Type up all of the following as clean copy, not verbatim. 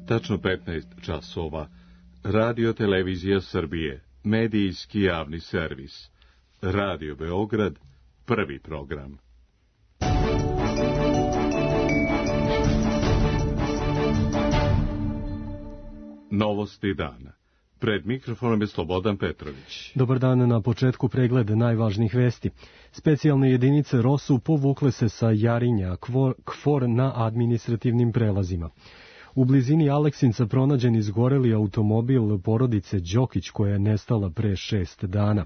Tačno 15 časova. Radio Televizija Srbije, medijski javni servis. Radio Beograd, prvi program. Novosti dana. Pred mikrofonom je Slobodan Petrović. Dobar dan, na početku pregled najvažnijih vesti. Specijalne jedinice ROSU povukle se sa Jarinja, KFOR na administrativnim prelazima. U blizini Aleksinca pronađen izgoreli automobil porodice Đokić koja je nestala pre 6 dana.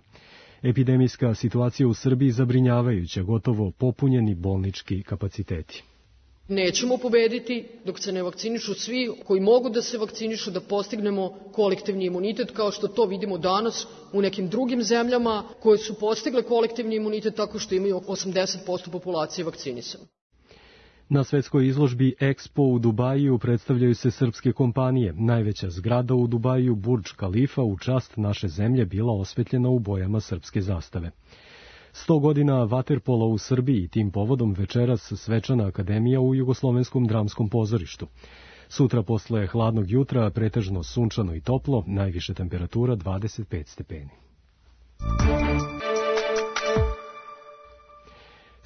Epidemijska situacija u Srbiji zabrinjavajuća, gotovo popunjeni bolnički kapaciteti. Nećemo pobediti dok se ne vakcinišu svi koji mogu da se vakcinišu, da postignemo kolektivni imunitet, kao što to vidimo danas u nekim drugim zemljama koje su postigle kolektivni imunitet tako što imaju 80% populacije vakcinisane. Na svetskoj izložbi Expo u Dubaju predstavljaju se srpske kompanije. Najveća zgrada u Dubaju, Burdž Kalifa, u čast naše zemlje bila osvetljena u bojama srpske zastave. 100 godina vaterpola u Srbiji, tim povodom večeras svečana akademija u Jugoslovenskom dramskom pozorištu. Sutra posle hladnog jutra pretežno sunčano i toplo, najviše temperatura 25 stepeni.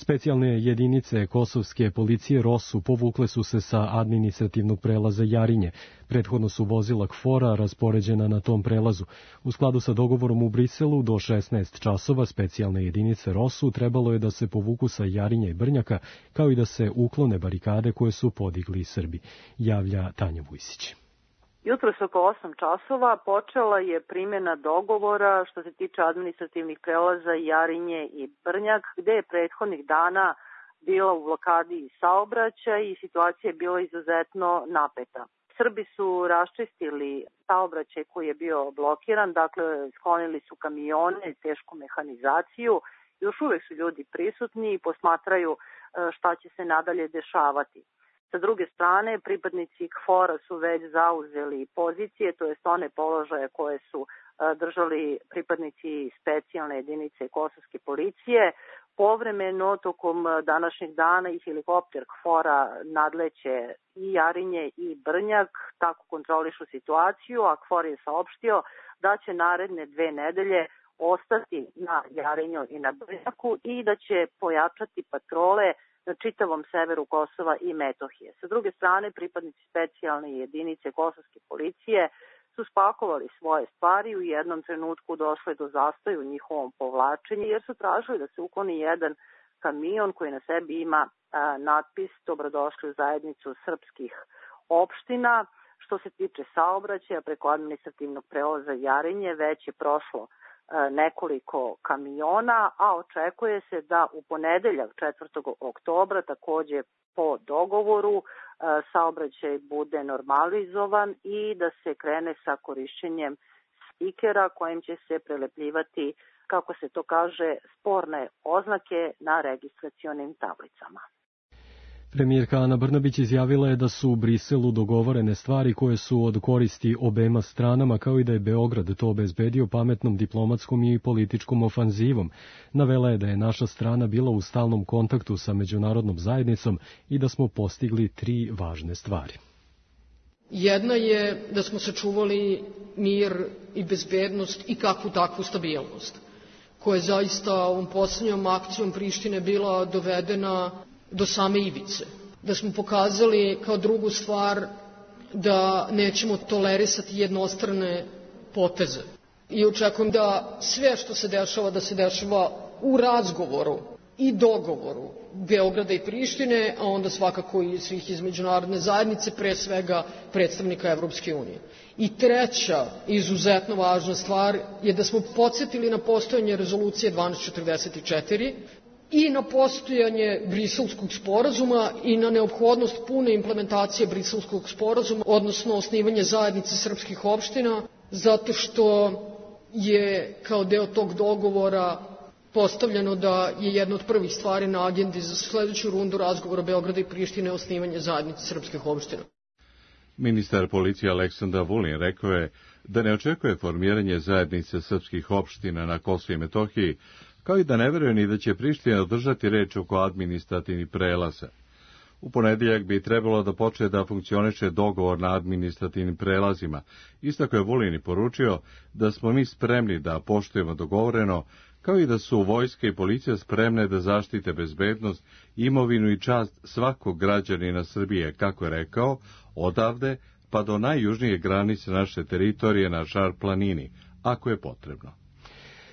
Specijalne jedinice kosovske policije ROSU povukle su se sa administrativnog prelaza Jarinje. Prethodno su vozila KFOR-a raspoređena na tom prelazu. U skladu sa dogovorom u Briselu do 16 časova specijalne jedinice ROSU trebalo je da se povuku sa Jarinja i Brnjaka, kao i da se uklone barikade koje su podigli Srbi, javlja Tanja Vujsić. Jutros oko 8 časova počela je primjena dogovora što se tiče administrativnih prelaza Jarinje i Brnjak, gde je prethodnih dana bila u blokadi saobraćaj i situacija je bila izuzetno napeta. Srbi su raščistili saobraćaj koji je bio blokiran, dakle sklonili su kamione, tešku mehanizaciju. Još uvek su ljudi prisutni i posmatraju šta će se nadalje dešavati. Sa druge strane, pripadnici KFOR-a su već zauzeli pozicije, to jest one položaje koje su držali pripadnici specijalne jedinice kosovske policije. Povremeno, tokom današnjeg dana i helikopter KFOR-a nadleće i Jarinje i Brnjak, tako kontrolišu situaciju, a KFOR je saopštio da će naredne 2 nedelje ostati na Jarinju i na Brnjaku i da će pojačati patrole na čitavom severu Kosova i Metohije. Sa druge strane, pripadnici specijalne jedinice kosovske policije su spakovali svoje stvari, u jednom trenutku došlo je do zastoja u njihovom povlačenju, jer su tražili da se ukloni jedan kamion koji na sebi ima natpis Dobrodošli u zajednicu srpskih opština. Što se tiče saobraćaja, preko administrativnog prelaza Jarinje već je prošlo nekoliko kamiona, a očekuje se da u ponedeljak 4. oktobra takođe po dogovoru saobraćaj bude normalizovan i da se krene sa korišćenjem stikera kojim će se prelepljivati, kako se to kaže, sporne oznake na registracionim tablicama. Premijerka Ana Brnabić izjavila je da su u Briselu dogovorene stvari koje su od koristi obema stranama, kao i da je Beograd to obezbedio pametnom diplomatskom i političkom ofanzivom. Navela je da je naša strana bila u stalnom kontaktu sa međunarodnom zajednicom i da smo postigli 3 važne stvari. Jedna je da smo sačuvali mir i bezbednost i kakvu takvu stabilnost, koja je zaista ovom posljednjom akcijom Prištine bila dovedena do same ivice. Da smo pokazali kao drugu stvar da nećemo tolerisati jednostrane poteze. I očekujem da sve što se dešava, da se dešava u razgovoru i dogovoru Beograda i Prištine, a onda svakako i svih iz međunarodne zajednice, pre svega predstavnika Evropske unije. I treća izuzetno važna stvar je da smo podsjetili na postojanje rezolucije 1244 i na postojanje Briselskog sporazuma i na neophodnost pune implementacije Briselskog sporazuma, odnosno osnivanje zajednice srpskih opština, zato što je kao deo tog dogovora postavljeno da je jedna od prvih stvari na agendi za sledeću rundu razgovora Beograda i Prištine osnivanje zajednice srpskih opština. Ministar policije Aleksandar Vulin rekao je da ne očekuje formiranje zajednice srpskih opština na Kosovu i Metohiji, kao i da ne veruje ni da će Priština održati reč oko administrativnih prelaza. U ponedjeljak bi trebalo da počne da funkcioniše dogovor na administrativnim prelazima. Istakao je Vulin i poručio da smo mi spremni da poštujemo dogovoreno, kao i da su vojska i policija spremne da zaštite bezbednost, imovinu i čast svakog građanina Srbije, kako je rekao, odavde pa do najjužnije granice naše teritorije na Šar planini, ako je potrebno.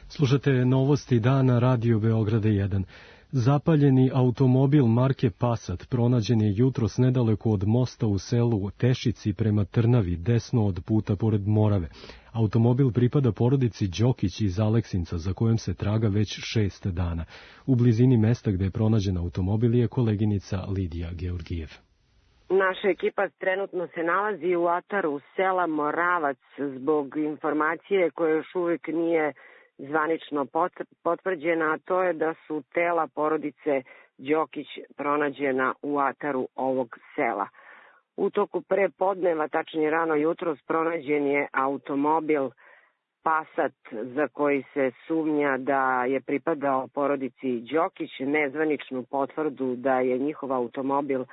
Slušate novosti dana Radio Beograda 1. Zapaljeni automobil marke Passat pronađen je jutros nedaleko od mosta u selu Tešici prema Trnavi, desno od puta pored Morave. Automobil pripada porodici Đokić iz Aleksinca, za kojom se traga već 6 dana. U blizini mesta gde je pronađen automobil je koleginica Lidija Georgijev. Naša ekipa trenutno se nalazi u ataru sela Moravac zbog informacije koja još uvijek nije zvanično potvrđena, a to je da su tela porodice Đokić pronađena u ataru ovog sela. U toku pre podneva, tačnije rano jutros, pronađen je automobil Passat za koji se sumnja da je pripadao porodici Đokić. Nezvaničnu potvrdu da je njihov automobil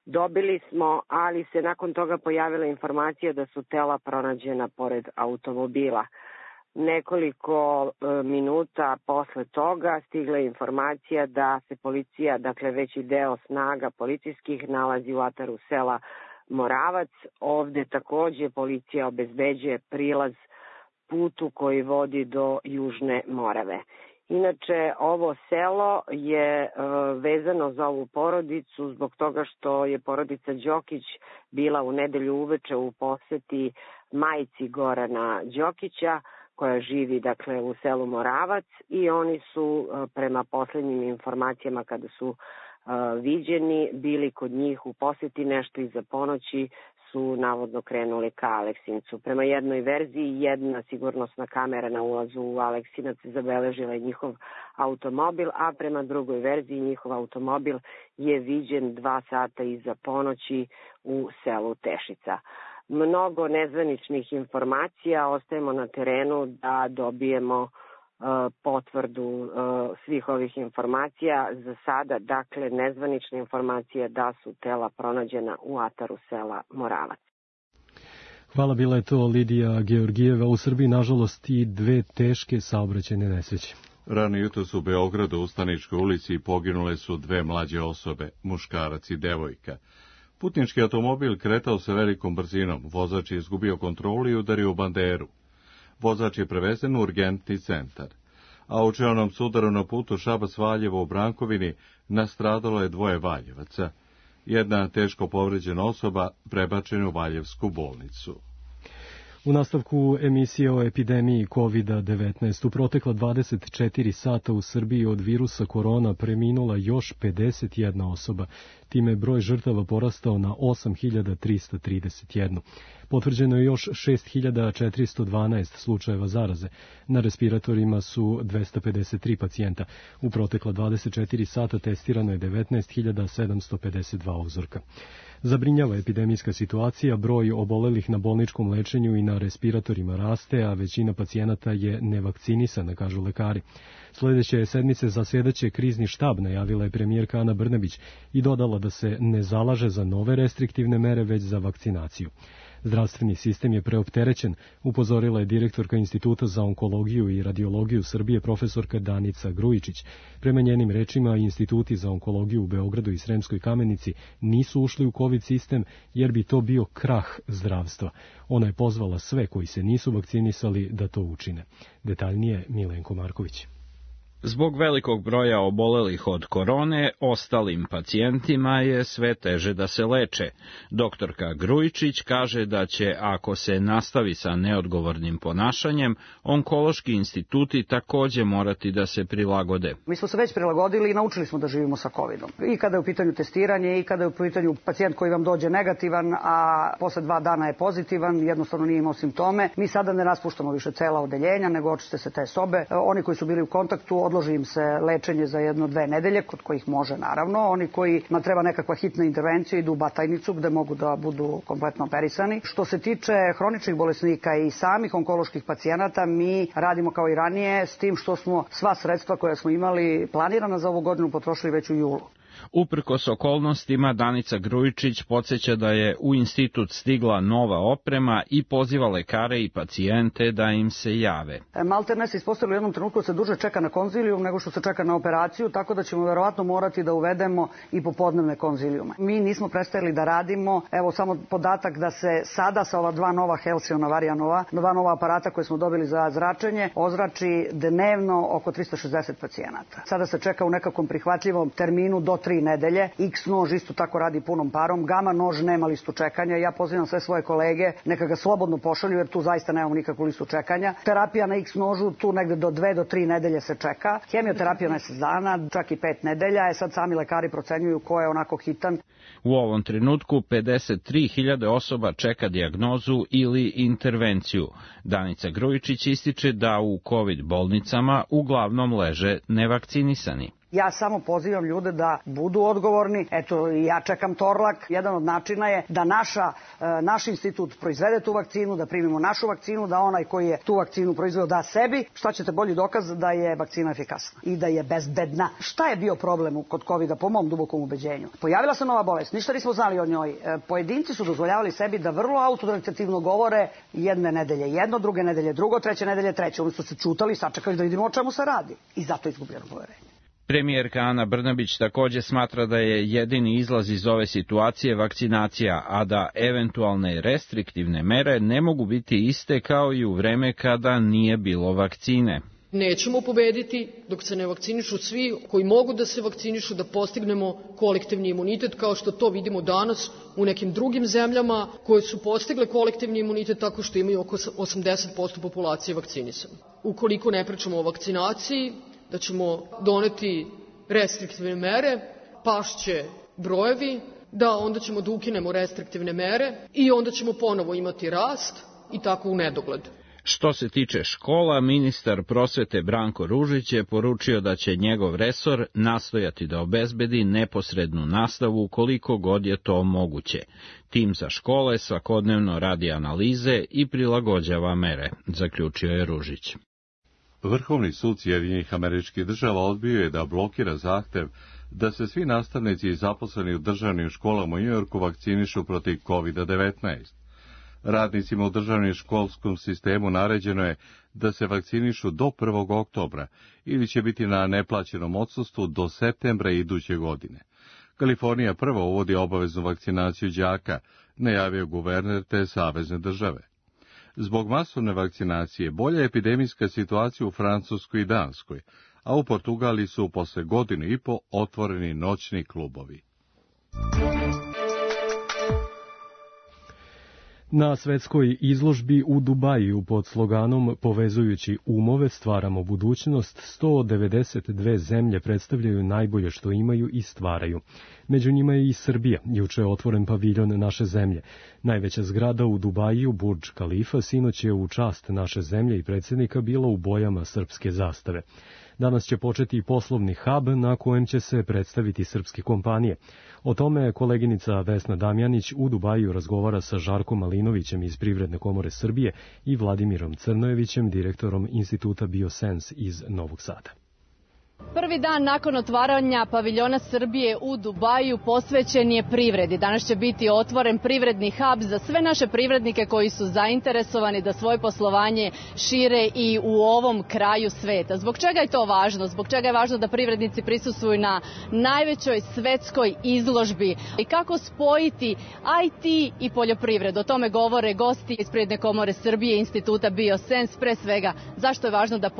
dobili smo, ali se nakon toga pojavila informacija da su tela pronađena pored automobila. Nekoliko minuta posle toga stigla je informacija da se policija, dakle veći deo snaga policijskih, nalazi u ataru sela Moravac. Ovde takođe policija obezbeđuje prilaz putu koji vodi do Južne Morave. Inače, ovo selo je vezano za ovu porodicu zbog toga što je porodica Đokić bila u nedelju uveče u poseti majci Gorana Đokića, koja živi dakle u selu Moravac, i oni su prema poslednjim informacijama kada su viđeni bili kod njih u poseti, nešto iza ponoći su navodno krenuli ka Aleksincu. Prema jednoj verziji, jedna sigurnosna kamera na ulazu u Aleksinac zabeležila je njihov automobil, a prema drugoj verziji njihov automobil je viđen 2 sata iza ponoći u selu Tešica. Mnogo nezvaničnih informacija, ostajemo na terenu da dobijemo potvrdu svih ovih informacija. Za sada, dakle, nezvanične informacije da su tela pronađena u ataru sela Moravac. Hvala, bila je to Lidija Georgijeva. U Srbiji, nažalost, i 2 teške saobraćajne nesreće. Rano jutros u Beogradu u Staničkoj ulici poginule su 2 mlađe osobe, muškarac i devojka. Putnički automobil kretao se velikom brzinom, vozač je izgubio kontrolu i udario u banderu. Vozač je prevezen u urgentni centar. A u čelnom sudaru na putu Šabac-Valjevo u Brankovini nastradalo je 2 Valjevaca. Jedna teško povređena osoba prebačena u Valjevsku bolnicu. U nastavku emisije o epidemiji COVID-19 u protekla 24 sata u Srbiji od virusa korona preminula još 51 osoba. Time je broj žrtava porastao na 8.331. Potvrđeno je još 6.412 slučajeva zaraze. Na respiratorima su 253 pacijenta. U protekla 24 sata testirano je 19.752 uzorka. Zabrinjava epidemijska situacija, broj obolelih na bolničkom lečenju i na respiratorima raste, a većina pacijenata je nevakcinisana, kažu lekari. Sledeće sedmice zasedaće krizni štab, najavila je premijerka Ana Brnabić i dodala da se ne zalaže za nove restriktivne mere, već za vakcinaciju. Zdravstveni sistem je preopterećen, upozorila je direktorka Instituta za onkologiju i radiologiju Srbije profesorka Danica Grujičić. Prema njenim rečima, instituti za onkologiju u Beogradu i Sremskoj Kamenici nisu ušli u COVID sistem jer bi to bio krah zdravstva. Ona je pozvala sve koji se nisu vakcinisali da to učine. Detaljnije Milenko Marković. Zbog velikog broja obolelih od korone, ostalim pacijentima je sve teže da se leče. Doktorka Grujičić kaže da će, ako se nastavi sa neodgovornim ponašanjem, onkološki instituti takođe morati da se prilagode. Mi smo se već prilagodili i naučili smo da živimo sa COVID-om. I kada je u pitanju testiranje, i kada je u pitanju pacijent koji vam dođe negativan, a posle 2 dana je pozitivan, jednostavno nije imao simptome. Mi sada ne raspuštamo više cela odeljenja, nego očiste se te sobe. Oni koji su bili u kontaktu, odloži im se lečenje za 1-2 nedelje, kod kojih može naravno. Oni kojima treba nekakva hitna intervencija idu u Batajnicu gde mogu da budu kompletno operisani. Što se tiče hroničnih bolesnika i samih onkoloških pacijenata, mi radimo kao i ranije, s tim što smo sva sredstva koja smo imali planirana za ovu godinu potrošili već u julu. Uprkos okolnostima, Danica Grujičić podsjeća da je u institut stigla nova oprema i poziva lekare i pacijente da im se jave. Maltene se ispostavilo u jednom trenutku da se duže čeka na konzilijum nego što se čeka na operaciju, tako da ćemo verovatno morati da uvedemo i popodnevne konzilijume. Mi nismo prestajali da radimo, evo samo podatak da se sada sa ova dva nova Halcyona Varianova, dva nova aparata koje smo dobili za zračenje, ozrači dnevno oko 360 pacijenata. Sada se čeka u nekakvom prihvatljivom terminu do 3 nedelje. X nož isto tako radi punom parom. Gama nož nema listu čekanja. Ja pozivam sve svoje kolege neka ga slobodno pošalju jer tu zaista nemamo nikakvu listu čekanja. Terapija na X nožu tu negde do 2 do 3 nedelje se čeka. Hemioterapija na 10 dana, čak i 5 nedelja. Sad sami lekari procenjuju ko je onako hitan. U ovom trenutku 53.000 osoba čeka dijagnozu ili intervenciju. Danica Grujičić ističe da u COVID bolnicama uglavnom leže nevakcinisani. Ja samo pozivam ljude da budu odgovorni. Eto, ja čekam Torlak. Jedan od načina je da naš institut proizvede tu vakcinu, da primimo našu vakcinu, da onaj koji je tu vakcinu proizveo da sebi. Šta ćete bolji dokaz da je vakcina efikasna i da je bezbedna. Šta je bio problem kod COVID-a po mom dubokom ubeđenju? Pojavila se nova bolest, ništa nismo znali o njoj. Pojedinci su dozvoljavali sebi da vrlo autodektativno govore jedne nedelje jedno, druge nedelje drugo, treće nedelje treće. Oni su se čutali, sačekali da vidimo o čemu se radi. I zato je izgubljeno poverenje. Premijerka Ana Brnabić takođe smatra da je jedini izlaz iz ove situacije vakcinacija, a da eventualne restriktivne mere ne mogu biti iste kao i u vreme kada nije bilo vakcine. Nećemo pobediti dok se ne vakcinišu svi koji mogu da se vakcinišu, da postignemo kolektivni imunitet kao što to vidimo danas u nekim drugim zemljama koje su postigle kolektivni imunitet tako što imaju oko 80% populacije vakcinisane. Ukoliko ne pričamo o vakcinaciji, da ćemo doneti restriktivne mere, pašće brojevi, da onda ćemo da ukinemo restriktivne mere i onda ćemo ponovo imati rast i tako u nedogled. Što se tiče škola, ministar prosvete Branko Ružić je poručio da će njegov resor nastojati da obezbedi neposrednu nastavu koliko god je to moguće. Tim za škole svakodnevno radi analize i prilagođava mere, zaključio je Ružić. Vrhovni sud Sjedinjenih Američkih Država odbio je da blokira zahtev da se svi nastavnici i zaposleni u državnim školama u Njujorku vakcinišu protiv COVID-19. Radnicima u državnom školskom sistemu naređeno je da se vakcinišu do 1. oktobra ili će biti na neplaćenom odsustvu do septembra iduće godine. Kalifornija prvo uvodi obaveznu vakcinaciju đaka, najavio guverner te savezne države. Zbog masovne vakcinacije bolja je epidemijska situacija u Francuskoj i Danskoj, a u Portugaliji su posle godinu i po otvoreni noćni klubovi. Na svetskoj izložbi u Dubaju pod sloganom Povezujući umove stvaramo budućnost, 192 zemlje predstavljaju najbolje što imaju i stvaraju. Među njima je i Srbija, juče je otvoren paviljon naše zemlje. Najveća zgrada u Dubaju, Burdž Kalifa, sinoć je u čast naše zemlje i predsjednika bila u bojama srpske zastave. Danas će početi i poslovni hub na kojem će se predstaviti srpske kompanije. O tome koleginica Vesna Damjanić u Dubaju razgovara sa Žarkom Malinovićem iz Privredne komore Srbije i Vladimirom Crnojevićem, direktorom Instituta Biosens iz Novog Sada. Prvi dan nakon otvaranja paviljona Srbije u Dubaju posvećen je privredi. Danas će biti otvoren privredni hub za sve naše privrednike koji su zainteresovani da svoje poslovanje šire i u ovom kraju sveta. Zbog čega je to važno? Zbog čega je važno da privrednici prisustvuju na najvećoj svetskoj izložbi? I kako spojiti IT i poljoprivredu? O tome govore gosti iz Privredne komore Srbije i Instituta Biosens. Pre svega, zašto je važno da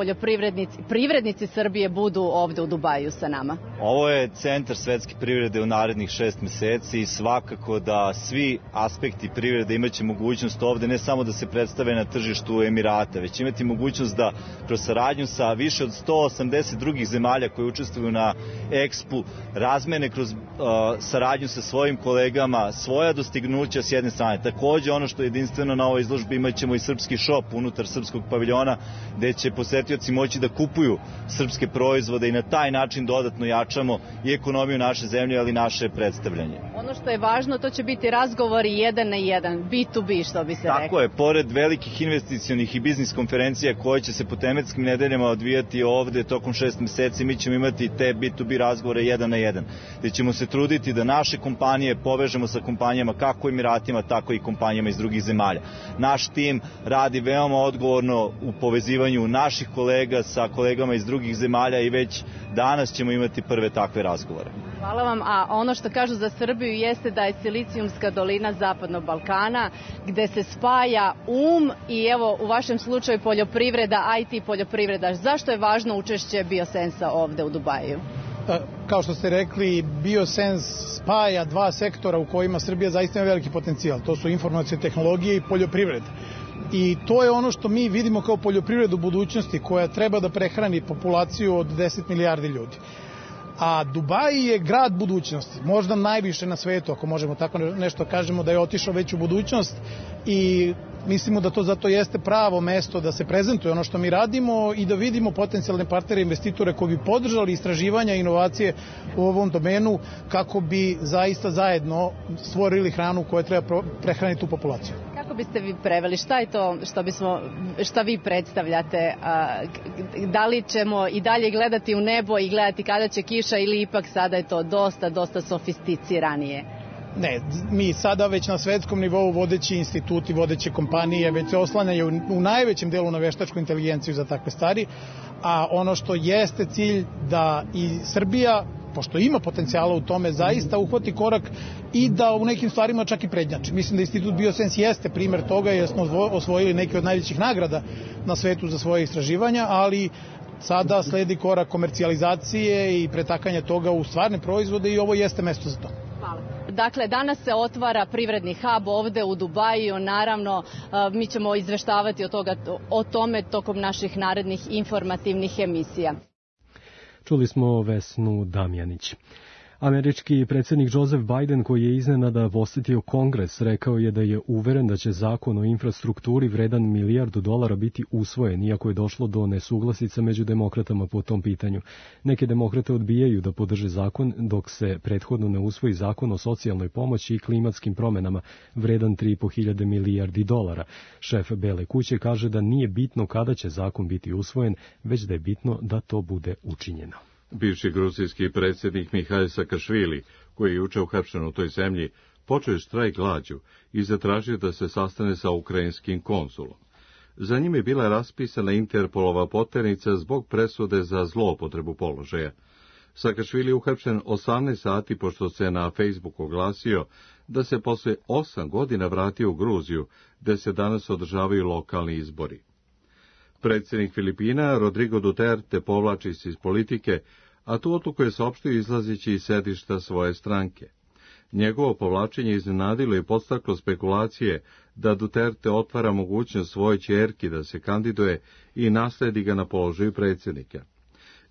privrednici Srbije budu ovde u Dubaju sa nama? Ovo je centar svetske privrede u narednih 6 meseci i svakako da svi aspekti privrede imaće mogućnost ovde ne samo da se predstave na tržištu Emirata, već imati mogućnost da kroz saradnju sa više od 180 drugih zemalja koje učestvuju na Expu razmene kroz saradnju sa svojim kolegama svoja dostignuća s jedne strane. Takođe ono što je jedinstveno na ovoj izložbi, imaćemo i srpski šop unutar srpskog paviljona gde će posetioci moći da kupuju srpske proizvode proizvoda i na taj način dodatno jačamo i ekonomiju naše zemlje, ali i naše predstavljanje. Ono što je važno, to će biti razgovori 1 na 1, B2B, što bi se rekao. Tako je, pored velikih investicionih i biznis konferencija koje će se po tematskim nedeljama odvijati ovde tokom 6 meseci, mi ćemo imati te B2B razgovore 1 na 1, gde ćemo se truditi da naše kompanije povežemo sa kompanijama kako u Emiratima, tako i kompanijama iz drugih zemalja. Naš tim radi veoma odgovorno u povezivanju naših kolega sa kolegama iz drugih zemalja i već danas ćemo imati prve takve razgovore. Hvala vam, a ono što kažu za Srbiju jeste da je Silicijumska dolina Zapadnog Balkana, gde se spaja i evo u vašem slučaju poljoprivreda, IT poljoprivreda. Zašto je važno učešće Biosensa ovde u Dubaju? Kao što ste rekli, Biosens spaja dva sektora u kojima Srbija zaista ima veliki potencijal. To su informacije tehnologije i poljoprivreda. I to je ono što mi vidimo kao poljoprivredu budućnosti koja treba da prehrani populaciju od 10 milijardi ljudi. A Dubai je grad budućnosti, možda najviše na svetu, ako možemo tako nešto kažemo, da je otišao već u budućnost i mislimo da to zato jeste pravo mesto da se prezentuje ono što mi radimo i da vidimo potencijalne partnere investitore koji bi podržali istraživanja i inovacije u ovom domenu kako bi zaista zajedno stvorili hranu koja treba prehraniti tu populaciju. Kako biste vi preveli? Šta je to što vi predstavljate? Da li ćemo i dalje gledati u nebo i gledati kada će kiša ili ipak sada je to dosta sofisticiranije? Ne, mi sada već na svetskom nivou vodeći instituti, vodeće kompanije već se oslanjaju u najvećem delu na veštačku inteligenciju za takve stvari, a ono što jeste cilj da i Srbija, pošto ima potencijala u tome, zaista uhvati korak i da u nekim stvarima čak i prednjači. Mislim da Institut Biosens jeste primer toga jer smo osvojili neke od najvećih nagrada na svetu za svoje istraživanja, ali sada sledi korak komercijalizacije i pretakanja toga u stvarne proizvode i ovo jeste mesto za to. Hvala. Dakle, danas se otvara privredni hub ovde u Dubaju, naravno mi ćemo izveštavati o tome tokom naših narednih informativnih emisija. Čuli smo Vesnu Damjanić. Američki predsjednik Joseph Biden, koji je iznenada posetio Kongres, rekao je da je uveren da će zakon o infrastrukturi vredan $1 milijardu biti usvojen, iako je došlo do nesuglasica među demokratama po tom pitanju. Neke demokrate odbijaju da podrže zakon, dok se prethodno ne usvoji zakon o socijalnoj pomoći i klimatskim promenama, vredan $3.500 milijardi. Šef Bele kuće kaže da nije bitno kada će zakon biti usvojen, već da je bitno da to bude učinjeno. Bivši gruzijski predsjednik Mihajl Sakašvili, koji je juče uhapšen u toj zemlji, počeo je štrajk glađu i zatražio da se sastane sa ukrajinskim konzulom. Za njim je bila raspisana Interpolova poternica zbog presude za zloupotrebu položaja. Sakašvili je uhapšen 18 sati pošto se na Facebooku oglasio da se posle 8 godina vratio u Gruziju, gde se danas održavaju lokalni izbori. Predsjednik Filipina, Rodrigo Duterte, povlači se iz politike, a tu odluku je saopštio izlazeći iz sedišta svoje stranke. Njegovo povlačenje iznenadilo i podstaklo spekulacije da Duterte otvara mogućnost svojoj ćerki da se kandiduje i nasledi ga na položaju predsjednika.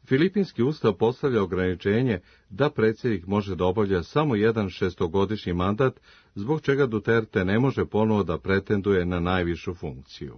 Filipinski ustav postavlja ograničenje da predsjednik može da obavlja samo jedan 6-godišnji mandat, zbog čega Duterte ne može ponovo da pretenduje na najvišu funkciju.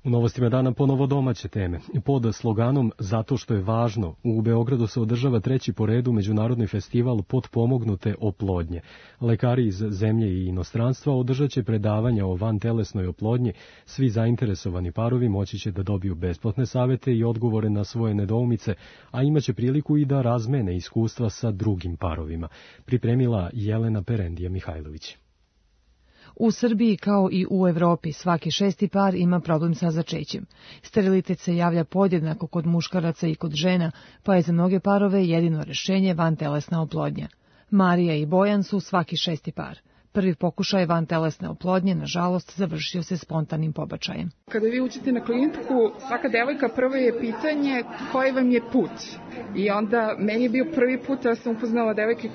U novostima dana ponovo domaće teme. Pod sloganom Zato što je važno, u Beogradu se održava 3. po redu međunarodni festival potpomognute oplodnje. Lekari iz zemlje i inostranstva održat će predavanja o vantelesnoj oplodnji. Svi zainteresovani parovi moći će da dobiju besplatne savete i odgovore na svoje nedoumice, a imaće priliku i da razmene iskustva sa drugim parovima. Pripremila Jelena Perendija Mihajlović. U Srbiji kao i u Evropi svaki 6. par ima problem sa začećem. Sterilitet se javlja podjednako kod muškaraca i kod žena, pa je za mnoge parove jedino rešenje vantelesna oplodnja. Marija i Bojan su svaki 6. par. Prvi pokušaj vantelesne oplodnje, nažalost, završio se spontanim pobačajem. Kada vi uđete na kliniku, svaka devojka prvo je pitanje koji vam je put. I onda, meni je bio prvi put da sam upoznala devojke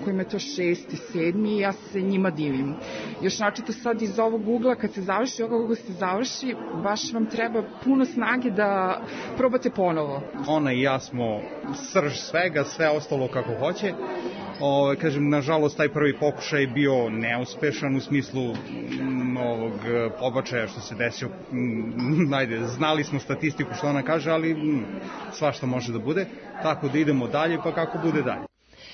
kojima je to 6. 7. i ja se njima divim. Još načito sad iz ovog ugla, kad se završi, ovog se završi, baš vam treba puno snage da probate ponovo. Ona i ja smo srž svega, sve ostalo kako hoće. Kažem, nažalost, taj prvi pokušaj je bio neuspešan u smislu ovog pobačaja što se desio. Znali smo statistiku što ona kaže, ali svašta može da bude, tako da idemo dalje, pa kako bude dalje.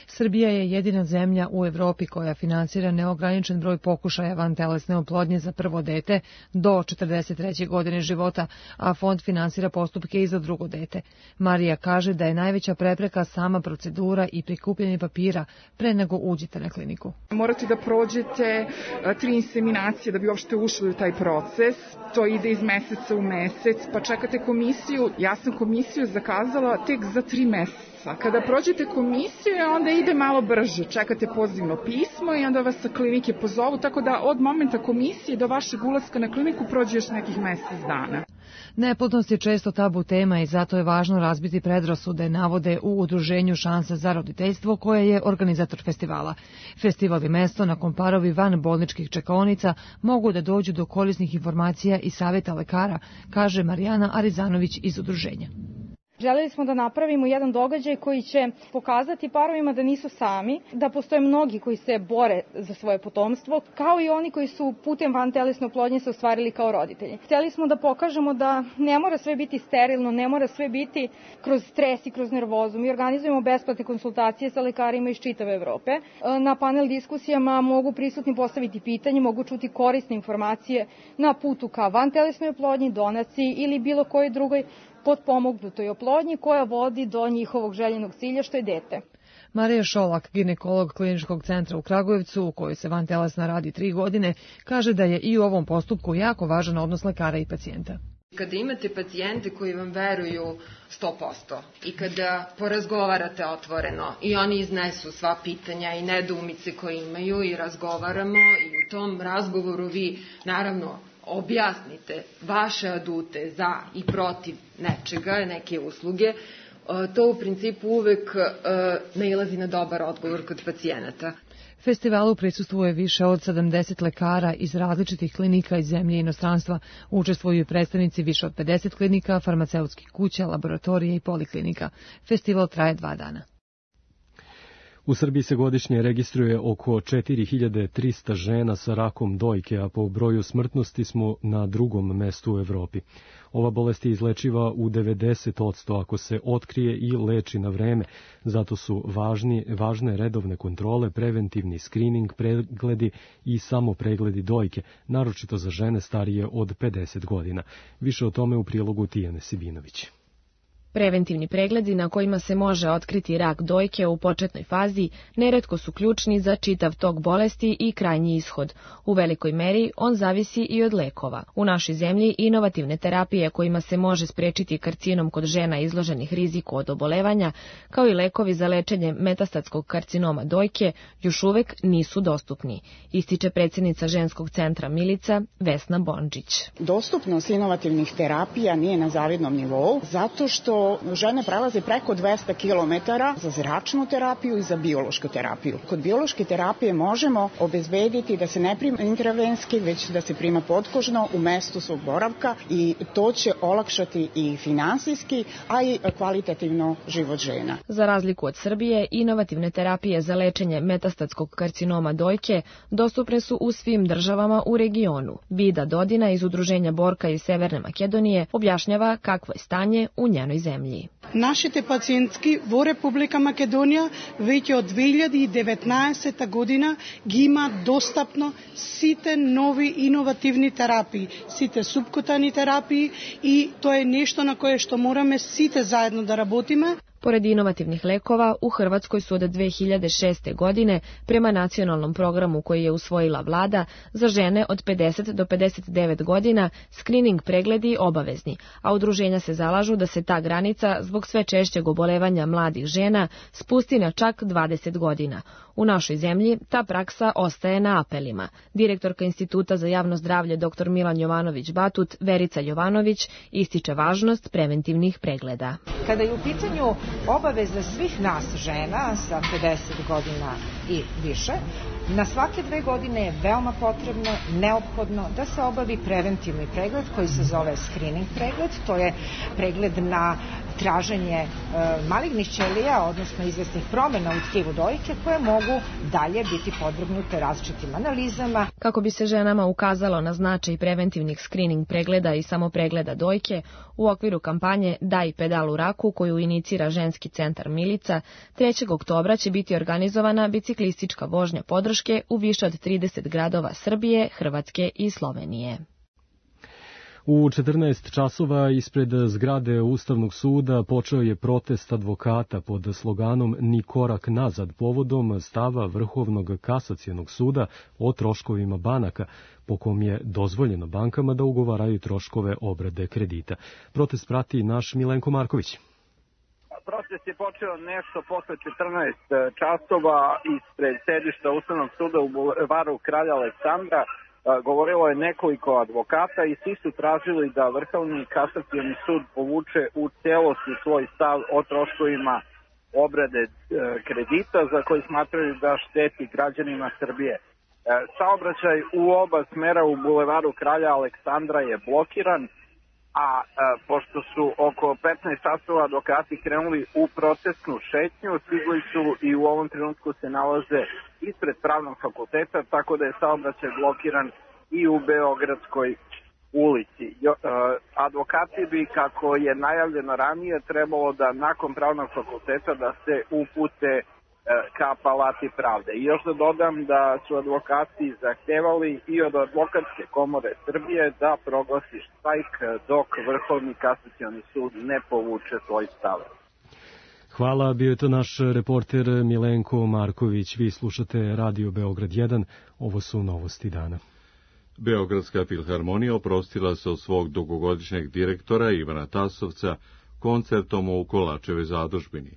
Srbija je jedina zemlja u Evropi koja finansira neograničen broj pokušaja vantelesne oplodnje za prvo dete do 43. godine života, a fond finansira postupke i za drugo dete. Marija kaže da je najveća prepreka sama procedura i prikupljanje papira pre nego uđete na kliniku. Morate da prođete 3 inseminacije da bi uopšte ušli u taj proces. To ide iz meseca u mesec, pa čekate komisiju. Ja sam komisiju zakazala tek za 3 meseca. Kada prođete komisiju, onda ide malo brže. Čekate pozivno pismo i onda vas sa klinike pozovu, tako da od momenta komisije do vašeg ulaska na kliniku prođe još nekih mesec dana. Neplodnost je često tabu tema i zato je važno razbiti predrasude, navode u udruženju Šansa za roditeljstvo koje je organizator festivala. Festival je mesto na kom parovi van bolničkih čekaonica mogu da dođu do korisnih informacija i savjeta lekara, kaže Marijana Arizanović iz udruženja. Želeli smo da napravimo jedan događaj koji će pokazati parovima da nisu sami, da postoje mnogi koji se bore za svoje potomstvo, kao i oni koji su putem vantelesne oplodnje se ostvarili kao roditelji. Hteli smo da pokažemo da ne mora sve biti sterilno, ne mora sve biti kroz stres i kroz nervozu. Mi organizujemo besplatne konsultacije sa lekarima iz čitave Evrope. Na panel diskusijama mogu prisutni postaviti pitanje, mogu čuti korisne informacije na putu ka vantelesnoj oplodnji, donaciji ili bilo kojoj drugoj potpomognutoj oplodnji koja vodi do njihovog željenog cilja što je dete. Marija Šolak, ginekolog Kliničkog centra u Kragujevcu, u kojoj se vantelesna radi 3 godine, kaže da je i u ovom postupku jako važan odnos lekara i pacijenta. Kada imate pacijente koji vam veruju 100% i kada porazgovarate otvoreno i oni iznesu sva pitanja i nedoumice koje imaju i razgovaramo i u tom razgovoru vi naravno objasnite vaše adute za i protiv nečega, neke usluge, to u principu uvek nailazi na dobar odgovor kod pacijenata. Festivalu prisustvuje više od 70 lekara iz različitih klinika iz zemlje i inostranstva. Učestvuju predstavnici više od 50 klinika, farmaceutskih kuća, laboratorija i poliklinika. Festival traje 2 dana. U Srbiji se godišnje registruje oko 4300 žena sa rakom dojke, a po broju smrtnosti smo na 2. mestu u Evropi. Ova bolest je izlečiva u 90% ako se otkrije i leči na vreme. Zato su važne redovne kontrole, preventivni skrining, pregledi i samopregledi dojke, naročito za žene starije od 50 godina. Više o tome u prilogu Tijane Sibinović. Preventivni pregledi na kojima se može otkriti rak dojke u početnoj fazi neretko su ključni za čitav tok bolesti i krajnji ishod. U velikoj meri on zavisi i od lekova. U našoj zemlji inovativne terapije kojima se može sprečiti karcinom kod žena izloženih riziku od obolevanja, kao i lekovi za lečenje metastatskog karcinoma dojke, još uvek nisu dostupni, ističe predsjednica ženskog centra Milica Vesna Bondžić. Dostupnost inovativnih terapija nije na zavidnom nivou, zato što žene prelaze preko 200 km za zračnu terapiju i za biološku terapiju. Kod biološke terapije možemo obezbediti da se ne prima intravenski, već da se prima potkožno u mestu svog boravka i to će olakšati i finansijski, a i kvalitativno život žena. Za razliku od Srbije, inovativne terapije za lečenje metastatskog karcinoma dojke dostupne su u svim državama u regionu. Vida Dodina iz Udruženja Borka iz Severne Makedonije objašnjava kakvo je stanje u njenoj zemlji. Нашите пациентки во Република Македонија веќе од 2019 година ги има достапно сите нови иновативни терапии, сите субкутани терапии и тоа е нешто на кое што мораме сите заедно да работиме. Pored inovativnih lekova, u Hrvatskoj su od 2006. godine, prema nacionalnom programu koji je usvojila vlada, za žene od 50 do 59 godina skrining pregledi obavezni, a udruženja se zalažu da se ta granica, zbog sve češćeg obolevanja mladih žena, spusti na čak 20 godina. U našoj zemlji ta praksa ostaje na apelima. Direktorka Instituta za javno zdravlje dr. Milan Jovanović-Batut, Verica Jovanović, ističe važnost preventivnih pregleda. Kada je u pitanju obaveza svih nas žena sa 50 godina i više Na svake 2 godine je veoma potrebno, neophodno da se obavi preventivni pregled koji se zove screening pregled. To je pregled na traženje malignih ćelija, odnosno izvesnih promjena u tkivu dojke koje mogu dalje biti podvrgnute različitim analizama. Kako bi se ženama ukazalo na značaj preventivnih screening pregleda i samopregleda dojke, u okviru kampanje Daj pedal u raku koju inicira ženski centar Milica, 3. oktobra će biti organizovana biciklistička vožnja podrške u više od 30 gradova Srbije, Hrvatske i Slovenije. U 14 časova ispred zgrade Ustavnog suda počeo je protest advokata pod sloganom Ni korak nazad povodom stava Vrhovnog kasacionog suda o troškovima banaka, po kom je dozvoljeno bankama da ugovaraju troškove obrade kredita. Protest prati naš Milenko Marković. Protest je počeo nešto posle 14 časova ispred sedišta Ustavnog suda u bulevaru Kralja Aleksandra. Govorilo je nekoliko advokata i svi su tražili da Vrhovni kasacioni sud povuče u celosti svoj stav o troškovima obrade kredita za koji smatraju da šteti građanima Srbije. Saobraćaj u oba smera u bulevaru Kralja Aleksandra je blokiran, a pošto su oko 15 časova advokati krenuli u protestnu šetnju, stigli su i u ovom trenutku se nalaze ispred Pravnog fakulteta, tako da je saobraćaj blokiran i u Beogradskoj ulici. Advokati bi, kako je najavljeno ranije, trebalo da nakon Pravnog fakulteta da se upute ka Palati pravde. I još da dodam da su advokati zahtevali i od Advokatske komore Srbije da proglasi štrajk dok Vrhovni kasacioni sud ne povuče svoj stav. Hvala, bio je to naš reporter Milenko Marković. Vi slušate Radio Beograd 1, ovo su novosti dana. Beogradska filharmonija oprostila se od svog dugogodišnjeg direktora Ivana Tasovca koncertom u Kolačevoj zadužbini.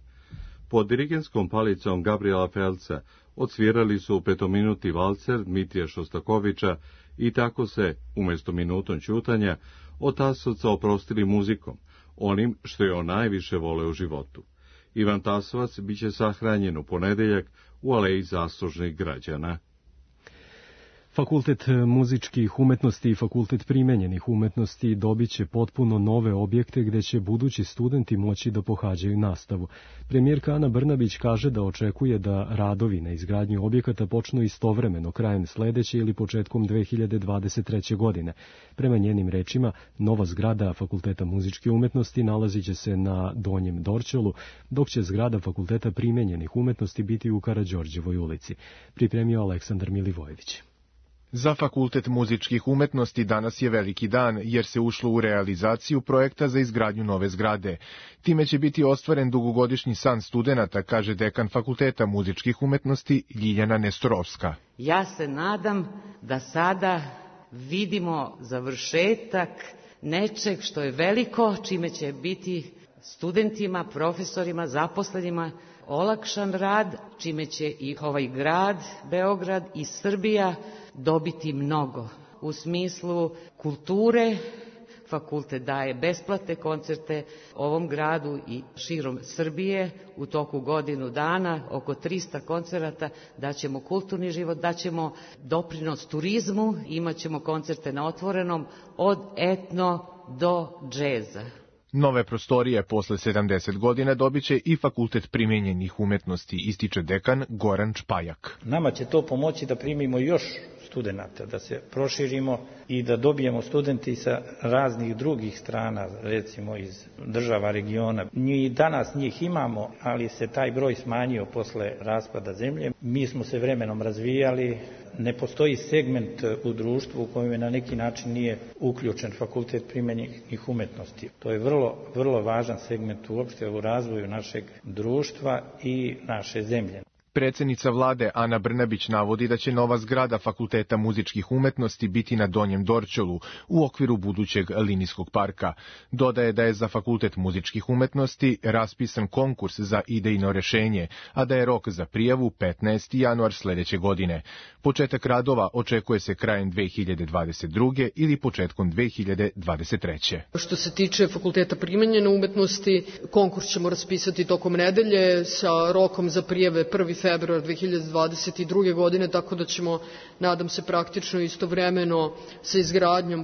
Pod dirigenskom palicom Gabriela Felca odsvirali su 5-minutni valcer Dmitrija Šostakovića i tako se, umjesto minutom ćutanja, od Tasovca oprostili muzikom, onim što je on najviše vole u životu. Ivan Tasovac biće sahranjen u ponedeljak u Aleji zaslužnih građana. Fakultet muzičkih umetnosti i Fakultet primenjenih umetnosti dobit će potpuno nove objekte gde će budući studenti moći da pohađaju nastavu. Premijerka Ana Brnabić kaže da očekuje da radovi na izgradnji objekata počnu istovremeno krajem sledeće ili početkom 2023. godine. Prema njenim rečima, nova zgrada Fakulteta muzičke umetnosti nalazit će se na Donjem Dorćolu, dok će zgrada Fakulteta primenjenih umetnosti biti u Karađorđevoj ulici. Pripremio Aleksandar Milivojević. Za Fakultet muzičkih umetnosti danas je veliki dan, jer se ušlo u realizaciju projekta za izgradnju nove zgrade. Time će biti ostvaren dugogodišnji san studenata, kaže dekan Fakulteta muzičkih umetnosti Ljiljana Nestorovska. Ja se nadam da sada vidimo završetak nečeg što je veliko, čime će biti studentima, profesorima, zaposlenima olakšan rad, čime će i ovaj grad, Beograd i Srbija dobiti mnogo. U smislu kulture, fakultet daje besplatne koncerte ovom gradu i širom Srbije u toku godinu dana, oko 300 koncerata, daćemo kulturni život, daćemo doprinos turizmu, imat ćemo koncerte na otvorenom od etno do džeza. Nove prostorije posle 70 godina dobit će i Fakultet primenjenih umetnosti, ističe dekan Goran Čpajak. Nama će to pomoći da primimo još studenata, da se proširimo i da dobijemo studenti sa raznih drugih strana, recimo iz država regiona. Mi danas njih imamo, ali se taj broj smanjio posle raspada zemlje. Mi smo se vremenom razvijali, ne postoji segment u društvu u kojem na neki način nije uključen Fakultet primenjenih umetnosti. To je vrlo važan segment uopšte u razvoju našeg društva i naše zemlje. Predsednica vlade Ana Brnabić navodi da će nova zgrada Fakulteta muzičkih umetnosti biti na Donjem Dorćolu u okviru budućeg linijskog parka. Dodaje da je za Fakultet muzičkih umetnosti raspisan konkurs za idejno rešenje, a da je rok za prijavu 15. januar sledeće godine. Početak radova očekuje se krajem 2022. ili početkom 2023. Što se tiče Fakulteta primenjene umetnosti, konkurs ćemo raspisati tokom nedelje sa rokom za prijave 1. februar 2022. godine, tako da ćemo, nadam se, praktično istovremeno sa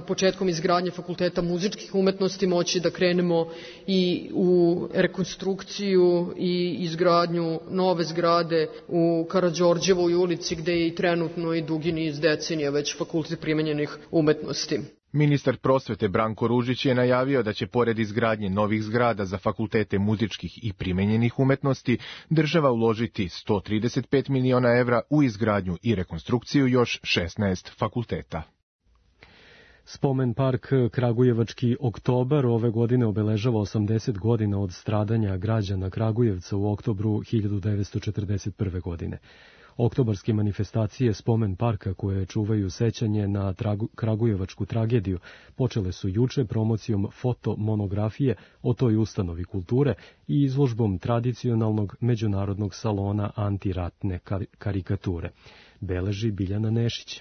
početkom izgradnje Fakulteta muzičkih umetnosti moći da krenemo i u rekonstrukciju i izgradnju nove zgrade u Karađorđevoj ulici, gde je i trenutno i dugi niz decenija već Fakultet primenjenih umetnosti. Ministar prosvete Branko Ružić je najavio da će pored izgradnje novih zgrada za fakultete muzičkih i primenjenih umetnosti država uložiti 135 miliona evra u izgradnju i rekonstrukciju još 16 fakulteta. Spomen park Kragujevački oktobar ove godine obeležava 80 godina od stradanja građana Kragujevca u oktobru 1941. godine. Oktobarske manifestacije Spomen parka, koje čuvaju sećanje na Kragujevačku tragediju, počele su juče promocijom fotomonografije o toj ustanovi kulture i izložbom tradicionalnog međunarodnog salona antiratne karikature. Beleži Biljana Nešić.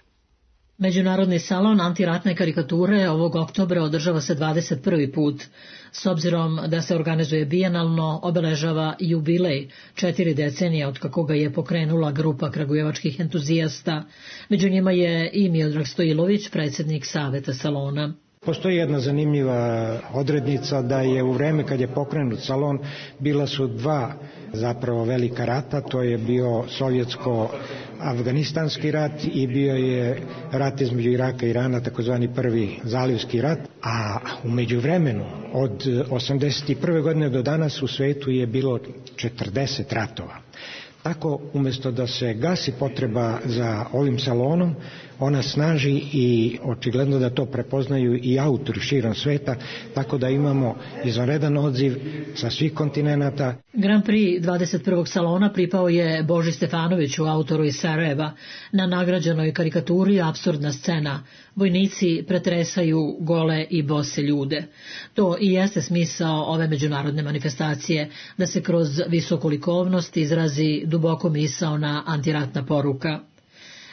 Međunarodni salon antiratne karikature ovog oktobra održava se 21. put. S obzirom da se organizuje bijenalno, obeležava jubilej 4 decenije od kako ga je pokrenula grupa kragujevačkih entuzijasta. Među njima je i Miodrag Stojilović, predsjednik Saveta salona. Postoji jedna zanimljiva odrednica da je u vreme kad je pokrenut salon bila su dva zapravo velika rata, to je bio sovjetsko-afganistanski rat i bio je rat između Iraka i Irana, takozvani prvi zalivski rat, a u međuvremenu od 81. godine do danas u svetu je bilo 40 ratova. Tako, umjesto da se gasi potreba za ovim salonom, ona snaži i očigledno da to prepoznaju i autori širom sveta, tako da imamo izvanredan odziv sa svih kontinenata. Grand Prix 21. salona pripao je Boži Stefanoviću, autoru iz Sarajeva. Na nagrađenoj karikaturi apsurdna scena. Vojnici pretresaju gole i bose ljude. To i jeste smisao ove međunarodne manifestacije, da se kroz visoku likovnost izrazi duboko misaona antiratna poruka.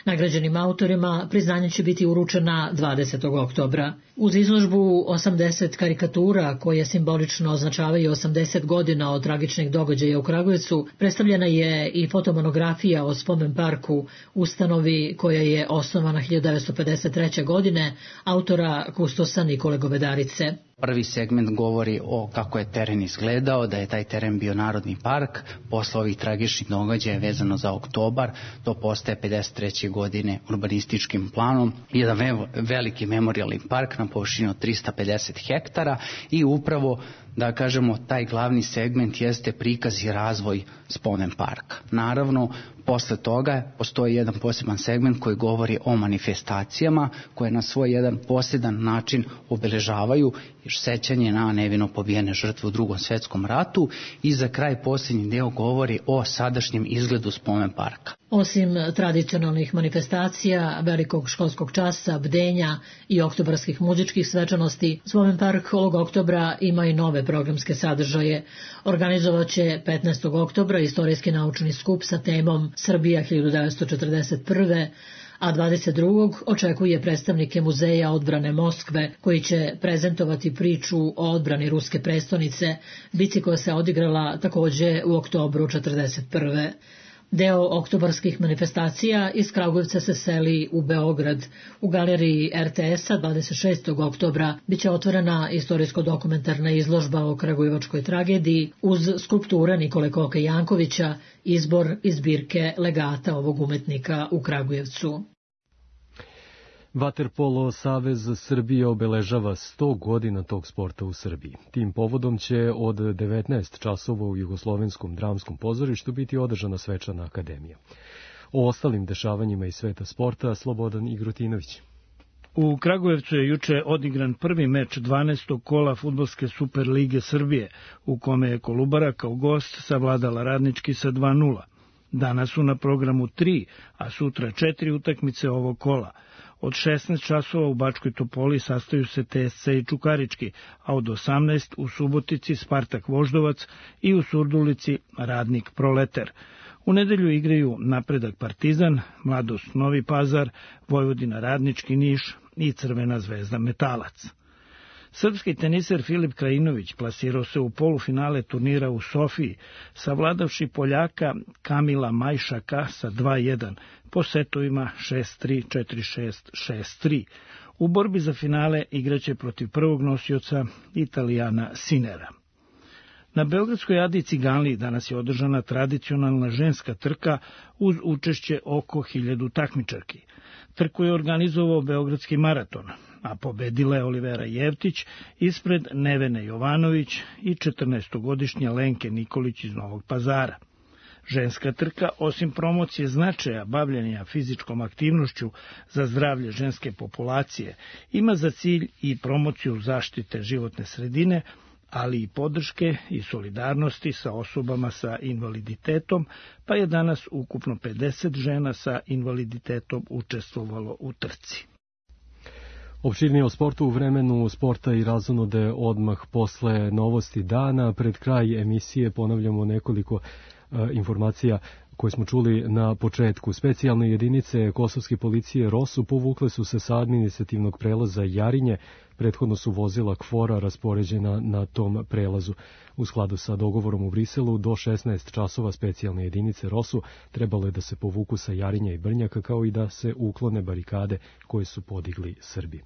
Nagrađenim autorima priznanje će biti uručena 20. oktobra. Uz izložbu 80 karikatura, koje simbolično označavaju 80 godina od tragičnih događaja u Kragujevcu, predstavljena je i fotomonografija o Spomen parku, ustanovi koja je osnovana 1953. godine, autora kustosa Nikole Govedarice. Prvi segment govori o kako je teren izgledao, da je taj teren bio narodni park. Posle ovih tragičnih događaja vezano za oktobar, to postaje 53. godine urbanističkim planom. Jedan veliki memorialni park na površini od 350 hektara i upravo, da kažemo, taj glavni segment jeste prikaz i razvoj Spomen parka. Naravno, posle toga postoji jedan poseban segment koji govori o manifestacijama koje na svoj jedan poseban način obeležavaju sećanje na nevino pobijene žrtve u Drugom svetskom ratu i za kraj posljednji deo govori o sadašnjem izgledu Spomen parka. Osim tradicionalnih manifestacija, velikog školskog časa, bdenja i oktobarskih muzičkih svečanosti, Spomen park ovog oktobra ima i nove programske sadržaje. Organizovaće 15. oktobra istorijski naučni skup sa temom Srbija 1941. a 22. očekuje predstavnike Muzeja odbrane Moskve, koji će prezentovati priču o odbrani ruske prestonice, bici koja se odigrala takođe u oktobru 1941. Deo oktobarskih manifestacija iz Kragujevca se seli u Beograd. U galeriji RTS-a 26. oktobra biće otvorena istorijsko-dokumentarna izložba o kragujevačkoj tragediji uz skulpture Nikole Koke Jankovića, izbor iz zbirke legata ovog umetnika u Kragujevcu. Vaterpolo Savez Srbije obeležava 100 godina tog sporta u Srbiji. Tim povodom će od 19 časova u Jugoslovenskom dramskom pozorištu biti održana svečana akademija. O ostalim dešavanjima iz sveta sporta Slobodan Igrotinović. U Kragujevcu je juče odigran prvi meč 12. kola Fudbalske Super lige Srbije, u kome je Kolubara kao gost savladala Radnički sa 2:0. Danas su na programu 3, a sutra 4 utakmice ovog kola. Od 16 časova u Bačkoj Topoli sastaju se TSC i Čukarički, a od 18 u Subotici Spartak Voždovac i u Surdulici Radnik Proleter. U nedelju igraju Napredak Partizan, Mladost Novi Pazar, Vojvodina Radnički Niš i Crvena Zvezda Metalac. Srpski teniser Filip Krajinović plasirao se u polufinale turnira u Sofiji, savladavši Poljaka Kamila Majšaka sa 2:1 po setovima 6-3, 4-6, 6-3. U borbi za finale igraće protiv prvog nosioca Italijana Sinera. Na Beogradskoj Adi Ciganliji danas je održana tradicionalna ženska trka uz učešće oko 1000 takmičarki. Trku je organizovao Beogradski maraton, a pobedila je Olivera Jevtić ispred Nevene Jovanović i 14-godišnje Lenke Nikolić iz Novog Pazara. Ženska trka, osim promocije značaja bavljenja fizičkom aktivnošću za zdravlje ženske populacije, ima za cilj i promociju zaštite životne sredine, ali i podrške i solidarnosti sa osobama sa invaliditetom, pa je danas ukupno 50 žena sa invaliditetom učestvovalo u trci. Opširnije o sportu u vremenu sporta i razonode odmah posle novosti dana. Pred kraj emisije ponavljamo nekoliko informacija koje smo čuli na početku. Specijalne jedinice kosovske policije ROSU povukle su se sa administrativnog prelaza Jarinje. Prethodno su vozila KFOR-a raspoređena na tom prelazu. U skladu sa dogovorom u Briselu, do 16 časova specijalne jedinice ROSU trebalo je da se povuku sa Jarinja i Brnjaka, kao i da se uklone barikade koje su podigli Srbi.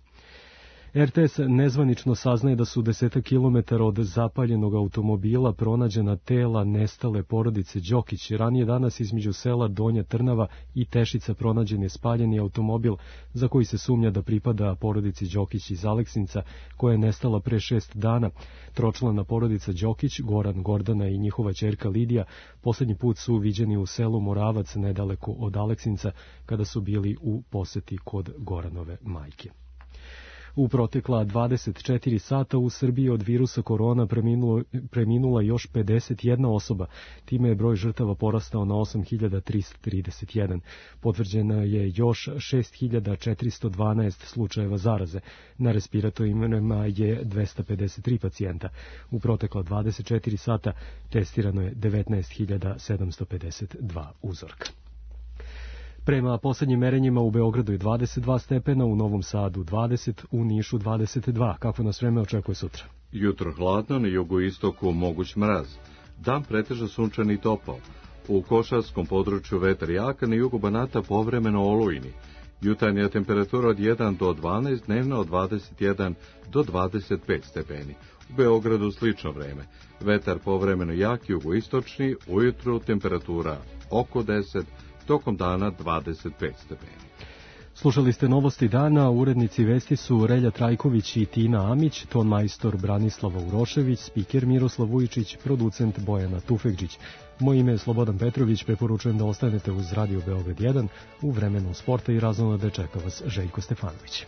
RTS nezvanično saznaje da su 10 kilometara od zapaljenog automobila pronađena tela nestale porodice Đokić. Ranije danas između sela Donja Trnava i Tešica pronađen je spaljeni automobil za koji se sumnja da pripada porodici Đokić iz Aleksinca, koja je nestala pre 6 dana. Tročlana porodica Đokić, Goran, Gordana i njihova ćerka Lidija, poslednji put su viđeni u selu Moravac nedaleko od Aleksinca kada su bili u poseti kod Goranove majke. U protekla 24 sata u Srbiji od virusa korona preminula još 51 osoba. Time je broj žrtava porastao na 8.331. Potvrđena je još 6.412 slučajeva zaraze. Na respiratorima je 253 pacijenta. U protekla 24 sata testirano je 19.752 uzorka. Prema poslednjim merenjima u Beogradu je 22 stepena, u Novom Sadu 20, u Nišu 22. Kako nas vreme očekuje sutra? Jutro hladno, na jugoistoku moguć mraz. Dan pretežno sunčan i topao. U Košarskom području vetar jaka, na jugu Banata povremeno olujni. Jutarnja temperatura od 1 do 12, dnevna od 21 do 25 stepeni. U Beogradu slično vreme. Vetar povremeno jak, jugoistočni, ujutru temperatura oko 10, tokom dana 25 stepeni. Slušali ste novosti dana, urednici vesti su Relja Trajković i Tina Amić, ton majstor Branislava Urošević, spiker Miroslav Vujičić, producent Bojana Tufekđić. Moje ime je Slobodan Petrović, preporučujem da ostanete uz Radio Beograd 1, u vremenu sporta i razonode čeka vas Željko Stefanović.